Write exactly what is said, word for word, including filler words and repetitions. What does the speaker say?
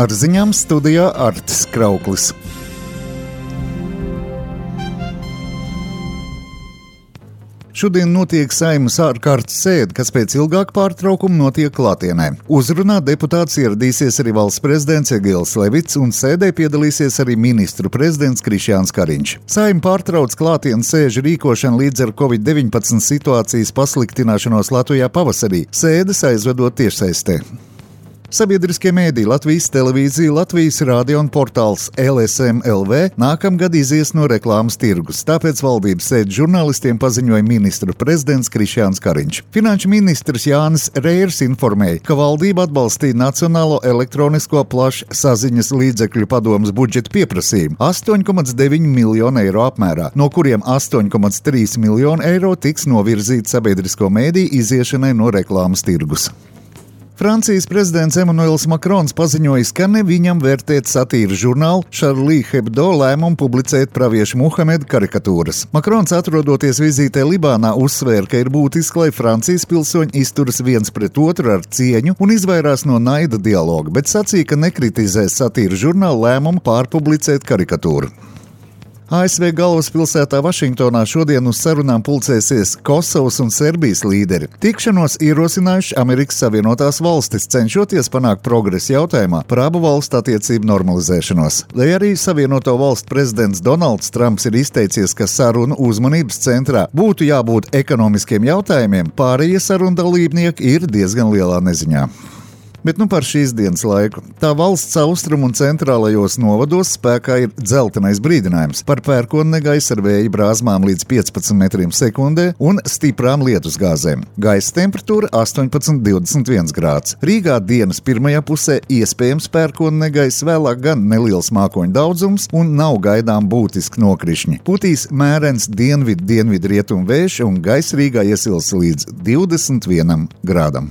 Ar ziņām studijā Artis Krauklis. Šodien notiek Saeimas ārkārtas sēde, kas pēc ilgāka pārtraukuma notiek klātienē. Uzrunāt deputāts ieradīsies arī valsts prezidents Egils Levits, un sēdē piedalīsies arī ministru prezidents Krišjāns Kariņš. Saeima pārtrauc klātienes sēžu rīkošanu līdz ar covid deviņpadsmit situācijas pasliktināšanos Latvijā pavasarī, sēdes aizvedot tiešsaistē. Sabiedriskie mēdī Latvijas televīzija, Latvijas radio un portāls L S M L V nākamgad izies no reklāmas tirgus, tāpēc valdības sēdes žurnālistiem paziņoja ministru prezidents Krišjāns Kariņš. Finanšu ministrs Jānis Reiers informēja, ka valdība atbalstīja Nacionālo elektronisko plašsaziņas līdzekļu padomes budžeta pieprasījumu astoņi komats deviņi miljonu eiro apmērā, no kuriem astoņi komats trīs miljonu eiro tiks novirzīti sabiedrisko mēdīju iziešanai no reklāmas tirgus. Francijas prezidents Emmanuels Makrons paziņojis, ka ne viņam vērtēt satīras žurnālu Charlie Hebdo lēmumu publicēt praviešu Muhameda karikatūras. Makrons, atrodoties vizītē Libānā, uzsvēra, ka ir būtiski, lai Francijas pilsoņi izturas viens pret otru ar cieņu un izvairās no naida dialoga, bet sacīja, ka nekritizēs satīras žurnālu lēmumu pārpublicēt karikatūru. A S V galvaspilsētā Vašingtonā šodien uz sarunām pulcēsies Kosovas un Serbijas līderi. Tikšanos ierosinājuši Amerikas Savienotās valstis, cenšoties panākt progresu jautājumā par abu valstu attiecību normalizēšanos. Lai arī Savienoto valstu prezidents Donalds Trumps ir izteicies, ka sarunu uzmanības centrā būtu jābūt ekonomiskiem jautājumiem, pārējie sarunu dalībnieki ir diezgan lielā neziņā. Bet nu par šīs dienas laiku. Tā valsts austrumu un centrālajos novados spēkā ir dzeltenais brīdinājums par pērkonu negaisa ar vēja brāzmām līdz piecpadsmit metriem sekundē un stiprām lietusgāzēm. Gaisa temperatūra astoņpadsmit līdz divdesmit viens grāds. Rīgā dienas pirmajā pusē iespējams pērkonu negaisa, vēlāk gan neliels mākoņu daudzums un nav gaidām būtiski nokrišņi. Putīs mērens dienvidu dienvidu rietumu vējš un gaisa Rīgā iesils līdz divdesmit vienam grādam.